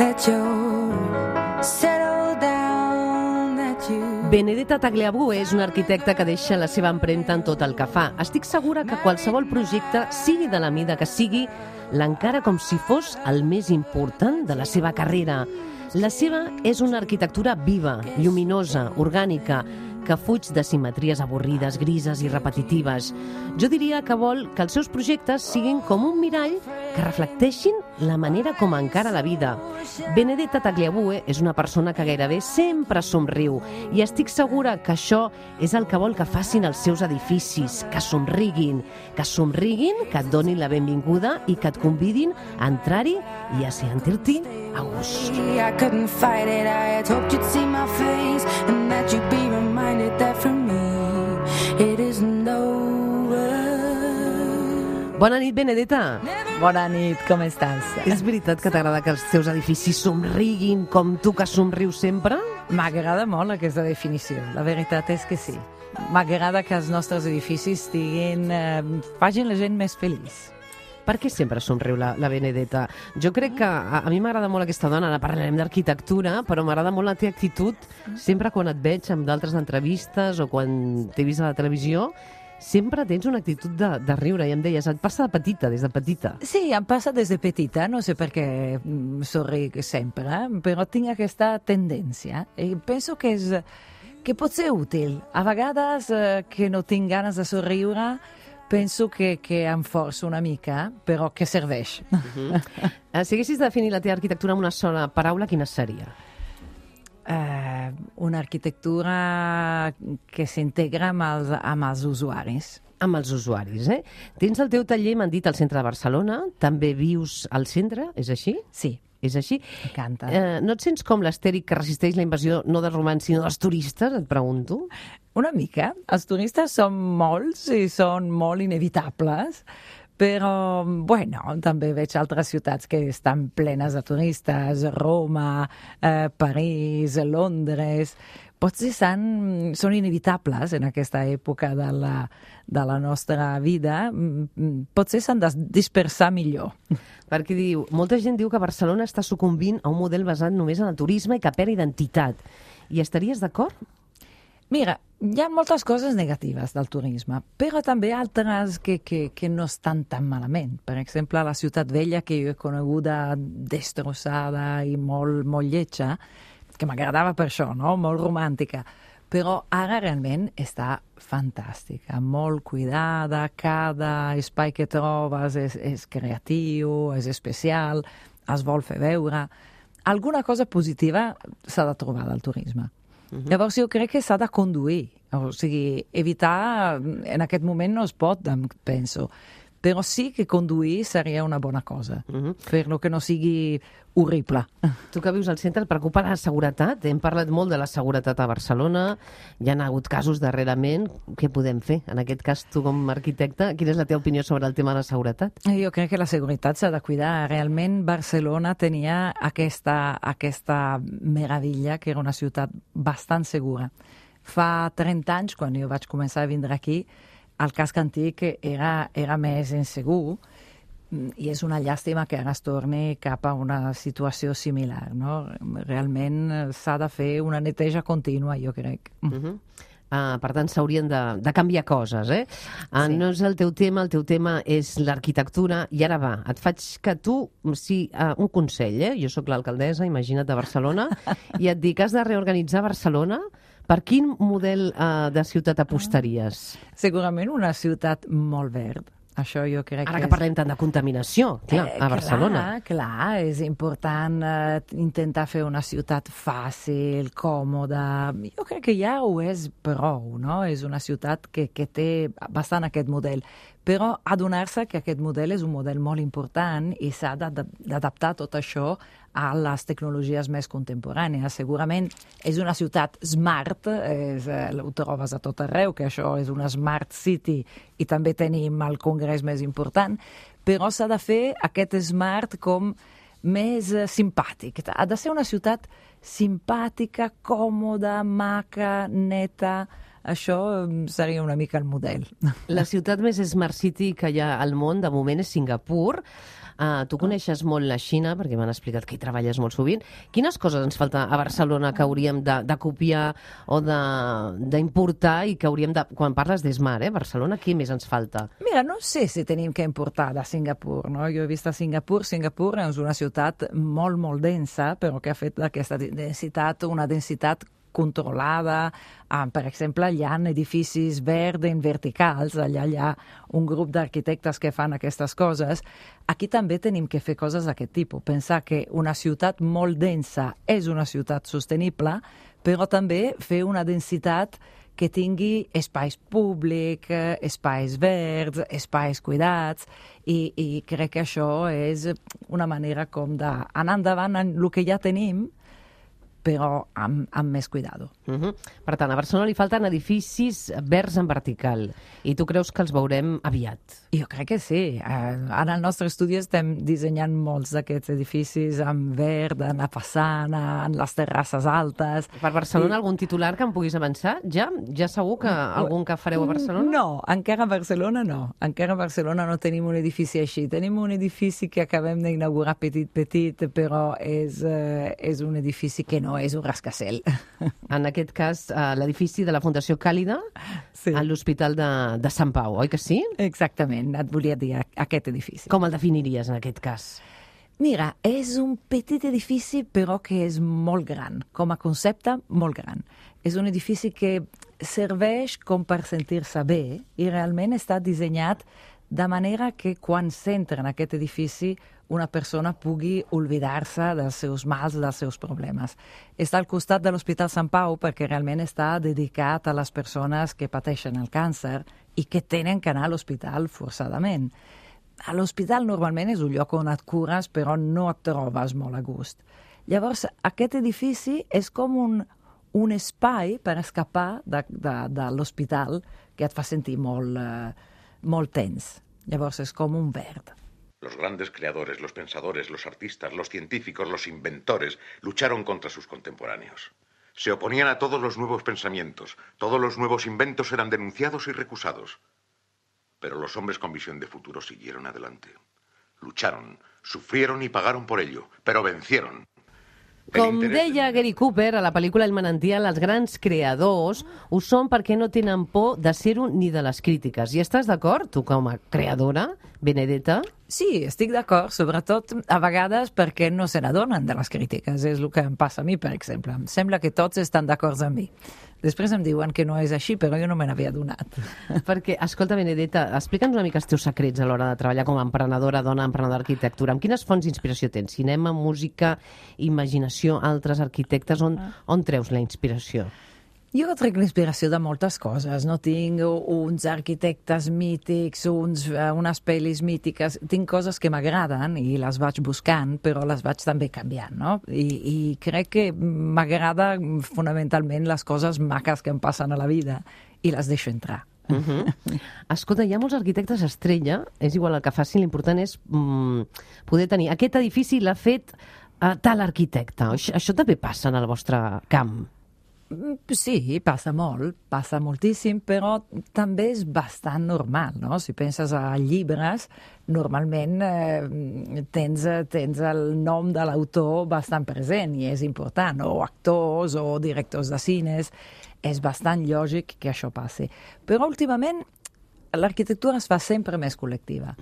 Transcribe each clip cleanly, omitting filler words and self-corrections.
that you're settled down, that you... Benedetta Tagliabue és una arquitecta que deixa la seva empremta en tot el que fa. Estic segura que qualsevol projecte, sigui de la mida que sigui, l'encara com si fos el més important de la seva carrera. La seva és una arquitectura viva, lluminosa, orgànica, que fuig de simetries avorrides, grises i repetitives. Jo diria que vol que els seus projectes siguin com un mirall que reflecteixin la manera com encara la vida. Benedetta Tagliabue és una persona que gairebé sempre somriu i estic segura que això és el que vol que facin els seus edificis, que somriguin, que et donin la benvinguda i que et convidin a entrar-hi i a sentir-t'hi a gust. I couldn't fight it, I had hoped you'd see my face and that you'd be reminded that for me it isn't over. Bona nit, Benedetta. Bona nit, com estàs? És veritat que t'agrada que els teus edificis somriguin com tu que somrius sempre? M'agrada molt aquesta definició, la veritat és que sí. M'agrada que els nostres edificis facin la gent més feliç. Per què sempre somriu la Benedetta? Jo crec que a mi m'agrada molt aquesta dona, ara parlarem d'arquitectura, però m'agrada molt la teva actitud, sempre quan et veig en d'altres entrevistes o quan t'he vist a la televisió, sempre tens una actitud de riure, i em deies, et passa de petita, des de petita. Sí, em passa des de petita, no sé per què somric sempre, però tinc aquesta tendència i penso que pot ser útil. A vegades que no tinc ganes de somriure, penso que em forço una mica, però que serveix. Si haguessis de definir la teva arquitectura amb una sola paraula, quina seria? Una arquitectura que s'integra amb els usuaris. Amb els usuaris, eh? Tens el teu taller, m'han dit, al centre de Barcelona, també vius al centre, és així? Sí. És així? M'encanta. No et sents com l'astèric que resisteix la invasió no dels romans, sinó dels turistes, et pregunto? Una mica. Els turistes són molts i són molt inevitables, però, bueno, també veig altres ciutats que estan plenes de turistes, Roma, París, Londres... Potser són inevitables en aquesta època de la nostra vida, potser s'han de dispersar millor. Perquè molta gent diu que Barcelona està sucumbint a un model basat només en el turisme i que perd identitat. I estaries d'acord? Mira, hi ha moltes coses negatives del turisme, però també altres que no estan tan malament. Per exemple, la Ciutat Vella, que jo he coneguda destrossada i molt lletja, que m'agradava per això, no? Molt romàntica, però ara realment està fantàstica, molt cuidada, cada espai que trobes és creatiu, és especial, es vol fer veure. Alguna cosa positiva s'ha de trobar del turisme. Llavors jo crec que s'ha de conduir, o sigui, evitar, en aquest moment no es pot, penso, però sí que conduir seria una bona cosa, fer-lo que no sigui horrible. Tu que vius al centre, et preocupa la seguretat? Hem parlat molt de la seguretat a Barcelona, hi ha hagut casos darrerament. Què podem fer? En aquest cas, tu com a arquitecte, quina és la teva opinió sobre el tema de la seguretat? Jo crec que la seguretat s'ha de cuidar. Realment Barcelona tenia aquesta meravella, que era una ciutat bastant segura. Fa 30 anys, quan jo vaig començar a vindre aquí, el casc antic era més insegur i és una llàstima que ara es torni cap a una situació similar, no? Realment s'ha de fer una neteja contínua, jo crec. Per tant, s'haurien de canviar coses, eh? Sí. No és el teu tema és l'arquitectura. I ara va, et faig que tu, un consell, eh? Jo sóc l'alcaldessa, imagina't, de Barcelona, i et dic, has de reorganitzar Barcelona. Per quin model de ciutat apostaries? Segurament una ciutat molt verd. Això jo crec Ara que parlem tant de contaminació, a Barcelona. Clar, és important intentar fer una ciutat fàcil, còmoda. Jo crec que ja ho és prou, no? És una ciutat que té bastant aquest model. Però adonar-se que aquest model és un model molt important i s'ha d'adaptar tot això a les tecnologies més contemporànies. Segurament és una ciutat smart, ho trobes a tot arreu, que això és una smart city i també tenim el congrés més important, però s'ha de fer aquest smart com més simpàtic. Ha de ser una ciutat simpàtica, còmoda, maca, neta. Això seria una mica el model. La ciutat més Smart City que hi ha al món, de moment, és Singapur. Tu coneixes molt la Xina, perquè m'han explicat que hi treballes molt sovint. Quines coses ens falta a Barcelona que hauríem de copiar o d'importar i que hauríem de... Quan parles d'Esmar, Barcelona, què més ens falta? Mira, no sé si tenim que importar de Singapur, no? Jo he vist a Singapur. Singapur és una ciutat molt, molt densa, però que ha fet d'aquesta densitat una densitat controlada. Per exemple, hi ha edificis verds verticals, allà hi ha un grup d'arquitectes que fan aquestes coses. Aquí també tenim que fer coses d'aquest tipus. Pensar que una ciutat molt densa és una ciutat sostenible, però també fer una densitat que tingui espais públics, espais verds, espais cuidats, i crec que això és una manera com d'anar endavant en el que ja tenim, però amb més cuidado. Per tant, a Barcelona li falten edificis verds en vertical, i tu creus que els veurem aviat? Jo crec que sí. En el nostre estudi estem dissenyant molts d'aquests edificis en verd, en la façana, en les terrasses altes. Per Barcelona, algun titular que em puguis avançar? Ja segur que algun que fareu a Barcelona? No, encara a Barcelona no. Encara a Barcelona no tenim un edifici així. Tenim un edifici que acabem d'inaugurar petit, però és un edifici que no és un rascacel. En aquest cas, l'edifici de la Fundació Càlida, sí, a l'Hospital de Sant Pau, oi que sí? Exactament, et volia dir aquest edifici. Com el definiries en aquest cas? Mira, és un petit edifici però que és molt gran, com a concepte molt gran. És un edifici que serveix com per sentir-se bé i realment està dissenyat de manera que quan s'entra en aquest edifici una persona pugui oblidar-se dels seus mals, dels seus problemes. Està al costat de l'Hospital Sant Pau perquè realment està dedicat a les persones que pateixen el càncer i que tenen que anar a l'hospital forçadament. A l'hospital normalment és un lloc on et cures però no et trobes molt a gust. Llavors, aquest edifici és com un espai per escapar de l'hospital que et fa sentir molt tens. Llavors és com un verd. Los grandes creadores, los pensadores, los artistas, los científicos, los inventores lucharon contra sus contemporáneos. Se oponían a todos los nuevos pensamientos, todos los nuevos inventos eran denunciados y recusados. Pero los hombres con visión de futuro siguieron adelante. Lucharon, sufrieron y pagaron por ello, pero vencieron. Com deia Gary Cooper a la pel·lícula El manantial, els grans creadors ho són perquè no tenen por de ser-ho ni de les crítiques. I estàs d'acord, tu com a creadora, Benedetta? Sí, estic d'acord, sobretot a vegades perquè no se n'adonen de les crítiques. És el que em passa a mi, per exemple. Em sembla que tots estan d'acord amb mi. Després em diuen que no és així, però jo no me n'havia adonat. Perquè, escolta, Benedetta, explica'ns una mica els teus secrets a l'hora de treballar com a emprenedora, dona, emprenedora d'arquitectura. Amb quines fonts d'inspiració tens? Cinema, música, imaginació, altres arquitectes? On treus la inspiració? Jo trec l'inspiració de moltes coses. No tinc uns arquitectes mítics, unes pel·lis mítiques. Tinc coses que m'agraden i les vaig buscant, però les vaig també canviant, no? I crec que m'agrada fonamentalment les coses maques que em passen a la vida i les deixo entrar. Escolta, hi ha molts arquitectes estrella, és igual el que facin, l'important és poder tenir... Aquest edifici l'ha fet tal arquitecte. Això també passa en el vostre camp? Sí, passa molt, passa moltíssim, però també és bastant normal, no? Si penses a llibres, normalment tens el nom de l'autor bastant present i és important, o actors o directors de cines, és bastant lògic que això passi. Però últimament l'arquitectura es fa sempre més col·lectiva,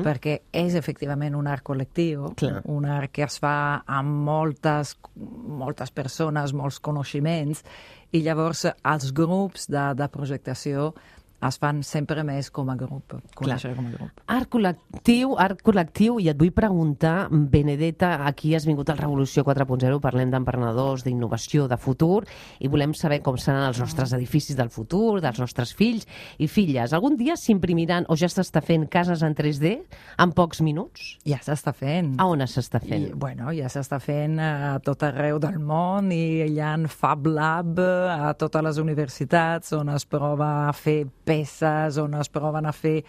perquè és efectivament un art col·lectiu, un art que es fa amb moltes persones, molts coneixements, i llavors els grups de projectació es fan sempre més com a grup, conèixer com a grup. Art col·lectiu, i et vull preguntar, Benedetta, aquí has vingut al Revolució 4.0, parlem d'emprenedors, d'innovació, de futur, i volem saber com seran els nostres edificis del futur, dels nostres fills i filles. Algun dia s'imprimiran, o ja s'està fent, cases en 3D en pocs minuts? Ja s'està fent. A on s'està fent? Ja s'està fent a tot arreu del món, i hi ha Fab Lab a totes les universitats on es prova a fer peces, on es proven a fer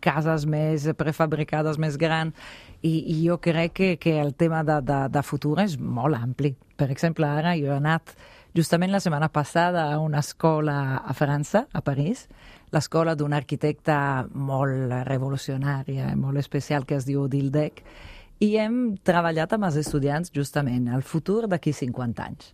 cases més prefabricades, més grans, i jo crec que el tema de futur és molt ampli. Per exemple, ara jo he anat justament la setmana passada a una escola a França, a París. l'escola d'un arquitecte molt revolucionària i molt especial que es diu Dildec, i hem treballat amb els estudiants justament el futur d'aquí 50 anys.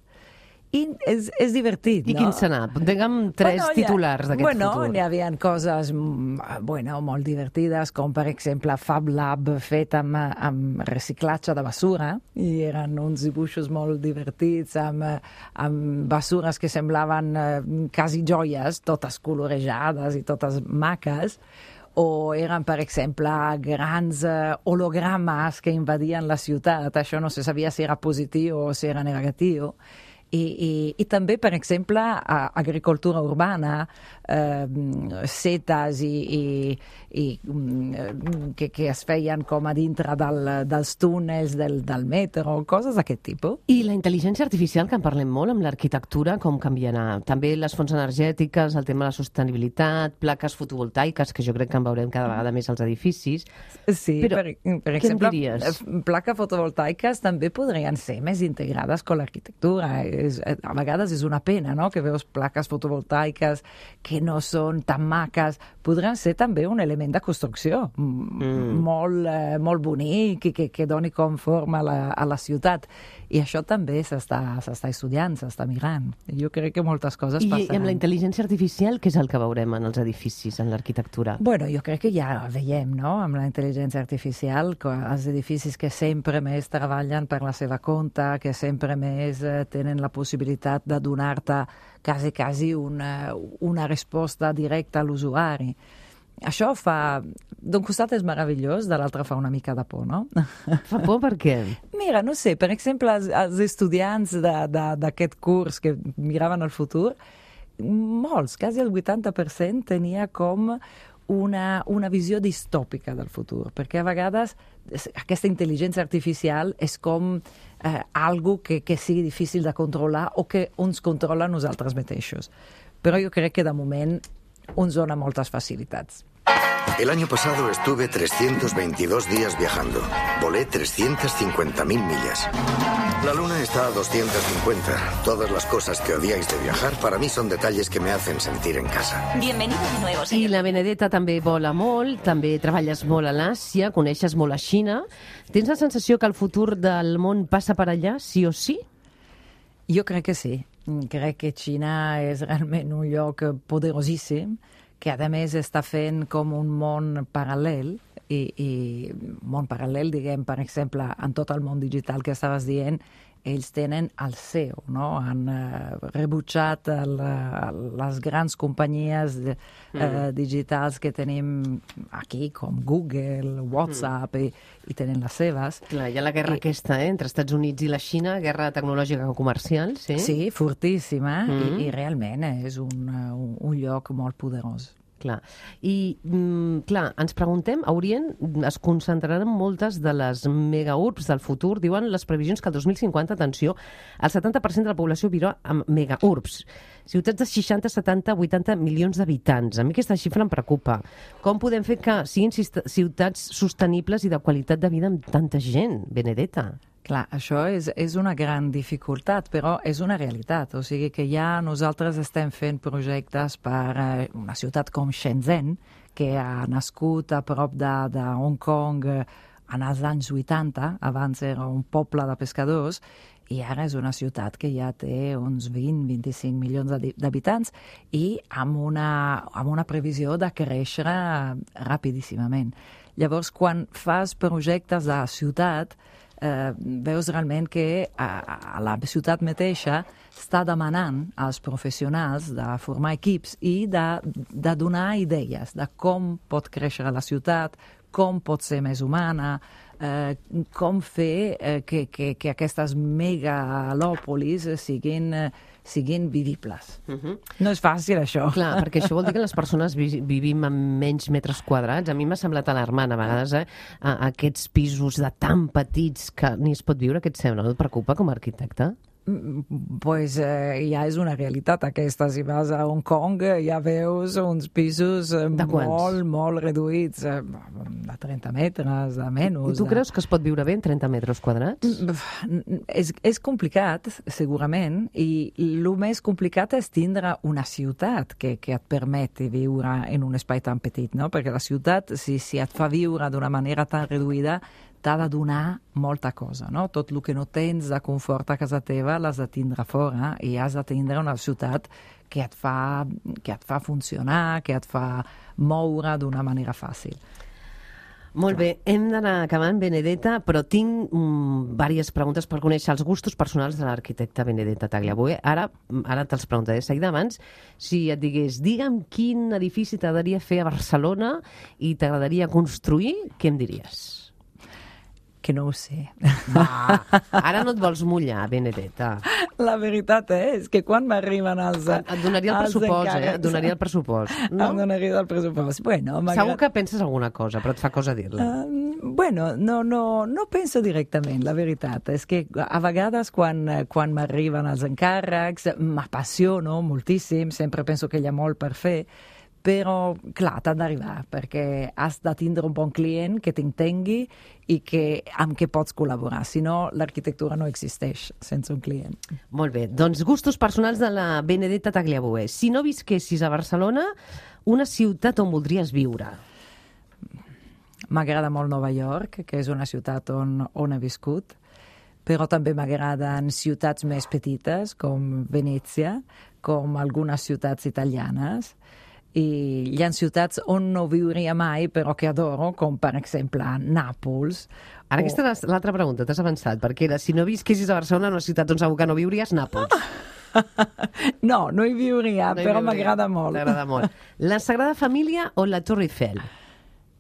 I és divertit, no? I quin serà? Digue'm tres titulars d'aquest futur. N'hi havia coses molt divertides, com per exemple Fab Lab fet amb reciclatge de basura, i eren uns dibuixos molt divertits amb basures que semblaven quasi joies, totes colorejades i totes maques, o eren, per exemple, grans hologrames que invadien la ciutat. Això no se sabia si era positiu o si era negatiu. I també, per exemple, agricultura urbana, setes que es feien com a dintre dels túnels del metro, coses d'aquest tipus. I la intel·ligència artificial, que en parlem molt amb l'arquitectura, com canviarà? També les fonts energètiques, el tema de la sostenibilitat, plaques fotovoltaiques, que jo crec que en veurem cada vegada més als edificis. Sí, però per exemple, plaques fotovoltaiques també podrien ser més integrades amb l'arquitectura. A vegades és una pena, no?, que veus plaques fotovoltaiques que no són tan maques. Podran ser també un element de construcció molt bonic i que doni com forma a la ciutat. I això també s'està estudiant, s'està mirant. Jo crec que moltes coses passaran. I amb la intel·ligència artificial, què és el que veurem en els edificis, en l'arquitectura? Bueno, jo crec que ja veiem, no?, amb la intel·ligència artificial, els edificis que sempre més treballen per la seva compte, que sempre més tenen la possibilitat de donar-te quasi una resposta directa a l'usuari. Això d'un costat és meravellós, de l'altre fa una mica de por, no? Fa por per què? Mira, no sé, per exemple, els estudiants d'aquest curs que miraven el futur, molts, quasi el 80%, tenia com una visió distòpica del futur, perquè a vegades aquesta intel·ligència artificial és com algo que sigui difícil de controlar o que ens controla nosaltres mateixos. Però jo crec que de moment ens dona moltes facilitats. El año pasado estuve 322 días viajando. Volé 350.000 millas. La luna está a 250. Todas las cosas que odiáis de viajar para mí son detalles que me hacen sentir en casa. Bienvenido de nuevo, I señor. la Benedetta també vola molt, també treballes molt a l'Àsia, coneixes molt la Xina. Tens la sensació que el futur del món passa per allà, sí o sí? Jo crec que sí. Crec que Xina és realment un lloc poderosíssim, que a més està fent com un món paral·lel, i món paral·lel, diguem, per exemple, en tot el món digital que estaves dient, ells tenen el SEO, no? Han rebutjat les grans companyies digitals que tenim aquí, com Google, WhatsApp, i tenen les seves. Clar, hi ha la guerra aquesta, entre Estats Units i la Xina, guerra tecnològica comercial, sí? Sí, fortíssima, i realment és un lloc molt poderós. Clar. I, clar, ens preguntem, a Orient es concentraran moltes de les megaurbs del futur. Diuen les previsions que el 2050, atenció, el 70% de la població viurà en megaurbs. Ciutats de 60, 70, 80 milions d'habitants. A mi aquesta xifra em preocupa. Com podem fer que siguin ciutats sostenibles i de qualitat de vida amb tanta gent, Benedetta? Clar, això és una gran dificultat, però és una realitat. O sigui que ja nosaltres estem fent projectes per una ciutat com Shenzhen, que ha nascut a prop de Hong Kong en els anys 80, abans era un poble de pescadors, i ara és una ciutat que ja té uns 20-25 milions d'habitants i amb una previsió de créixer rapidíssimament. Llavors, quan fas projectes de ciutat, veus realment que a la ciutat mateixa està demanant als professionals de formar equips i de donar idees de com pot créixer la ciutat, com pot ser més humana, com fer que aquestes megalòpolis siguin vivibles. No és fàcil, això. Clar, perquè això vol dir que les persones vivim en menys metres quadrats. A mi m'ha semblat alarmant a vegades, aquests pisos de tan petits que ni es pot viure, què et sembla? No et preocupa com a arquitecte? Pues ja és una realitat aquesta. Si vas a Hong Kong ja veus uns pisos molt reduïts, de 30 metres, de menys. I tu creus que es pot viure bé en 30 metres quadrats? És complicat, segurament, i el més complicat és tindre una ciutat que et permeti viure en un espai tan petit, no? Perquè la ciutat, si et fa viure d'una manera tan reduïda, t'ha de donar molta cosa, no? Tot el que no tens de confort a casa teva l'has de tindre fora i has de tindre una ciutat que et fa funcionar, que et fa moure d'una manera fàcil. Molt bé, hem d'anar acabant, Benedetta, però tinc diverses preguntes per conèixer els gustos personals de l'arquitecta Benedetta Tagliabue. Ara te'ls preguntaré seguida. Abans, si et digués, digue'm quin edifici t'agradaria fer a Barcelona i t'agradaria construir, què em diries? Que no ho sé. Va, ara no et vols mullar, Benedetta. La veritat és que quan m'arriben els Et donaria el pressupost, Et donaria el pressupost. No? Em donaria el pressupost. Bueno, segur que penses alguna cosa, però et fa cosa dir-la. Bueno, no penso directament, la veritat. És que a vegades quan m'arriben els encàrrecs m'apassiono moltíssim, sempre penso que hi ha molt per fer, però, clar, t'han d'arribar, perquè has de tindre un bon client que t'entengui i amb què pots col·laborar. Si no, l'arquitectura no existeix sense un client. Molt bé. Doncs gustos personals de la Benedetta Tagliabue. Si no visquessis a Barcelona, una ciutat on voldries viure? M'agrada molt Nova York, que és una ciutat on he viscut, però també m'agraden ciutats més petites, com Venècia, com algunes ciutats italianes, i hi ha ciutats on no viuria mai però que adoro, com per exemple Nàpols. Ara aquesta és l'altra pregunta, t'has avançat, perquè era, si no visquessis a Barcelona, una ciutat on segur que no viuries, Nàpols. No hi viuria, però m'agrada molt. T'agrada molt. La Sagrada Família o la Torre Eiffel?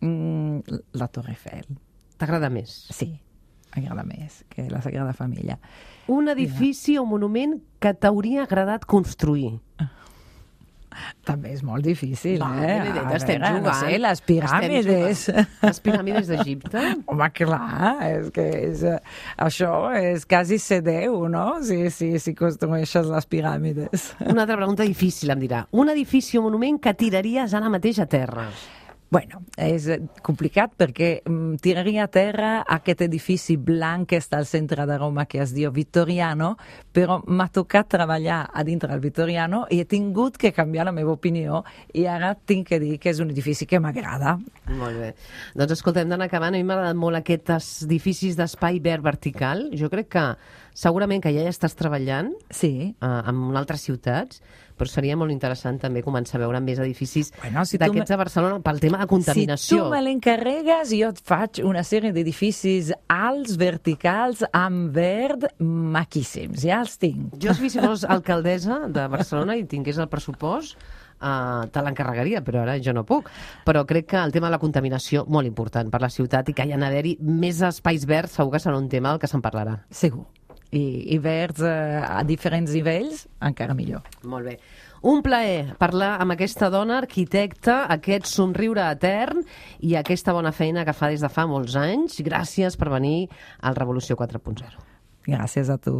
La Torre Eiffel. T'agrada més? Sí, m'agrada més que la Sagrada Família. Un edifici o monument que t'hauria agradat construir? També és molt difícil, Benedetta, estem jugant. No sé, les piràmides. Les piràmides d'Egipte? Home, clar, és que això és quasi ser Déu, no? Si construeixes les piràmides. Una altra pregunta difícil, em dirà. Un edifici o monument que tiraries ara mateix a terra? Bueno, és complicat perquè tiraria a terra aquest edifici blanc que està al centre de Roma que es diu Vittoriano, però m'ha tocat treballar a dintre del Vittoriano i he tingut que canviar la meva opinió i ara tinc que dir que és un edifici que m'agrada. Molt bé. Doncs escolta, hem d'anar acabant. A mi m'ha agradat molt aquests edificis d'espai verd vertical. Jo crec que segurament que ja hi estàs treballant en altres ciutats, però seria molt interessant també començar a veure més edificis d'aquests a Barcelona pel tema de contaminació. Si tu me l'encarregues, jo et faig una sèrie d'edificis alts, verticals, amb verd, maquíssims. Ja els tinc. Jo, si fos alcaldessa de Barcelona i tingués el pressupost, te l'encarregaria, però ara jo no puc. Però crec que el tema de la contaminació, molt important per la ciutat, i que hi ha d'haver-hi més espais verds, segur que serà un tema del que se'n parlarà. Segur. I verds a diferents nivells, encara millor. Molt bé. Un plaer parlar amb aquesta dona arquitecta, aquest somriure etern i aquesta bona feina que fa des de fa molts anys. Gràcies per venir al Revolució 4.0. Gràcies a tu.